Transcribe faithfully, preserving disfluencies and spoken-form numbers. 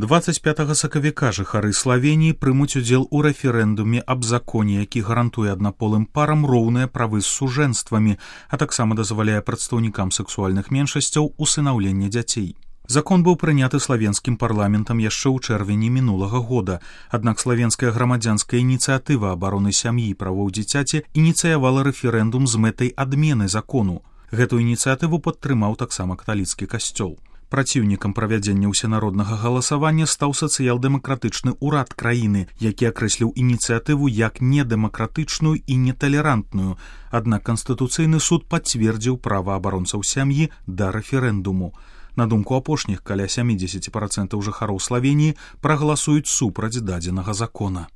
дваццаць пятага сакавіка жыхары Славеніі прымуць удзел у рэферэндуме аб законе, які гарантуе аднаполым парам роўныя правы з сужэнствамі, а таксама дазваляе прадстаўнікам сэксуальных меншасцяў усынаўленне дзяцей. Закон быў прыняты славенскім парламентам яшчэ ў чэрвені мінулага года, аднак славенская грамадзянская ініцыятыва абароны сям'і і правоў дзіцяці ініцыявала рэферэндум з мэтай адмены закону. Гэту ініцыятыву падтрымаў таксама каталіцкі касцёл. Праціўнікам правядзення ўсенароднага галасавання стаў сацыял-дэмакратычны ўрад краіны, які акрэсліў ініцыятыву як недэмакратычную і неталерантную, аднак Канстытуцыйны суд пацвердзіў права абаронцаў сям'і да рэферэндуму. На думку апошніх, каля сямідзесят працэнтаў жыхароў Славеніі прагаласуюць супраць дадзенага закона.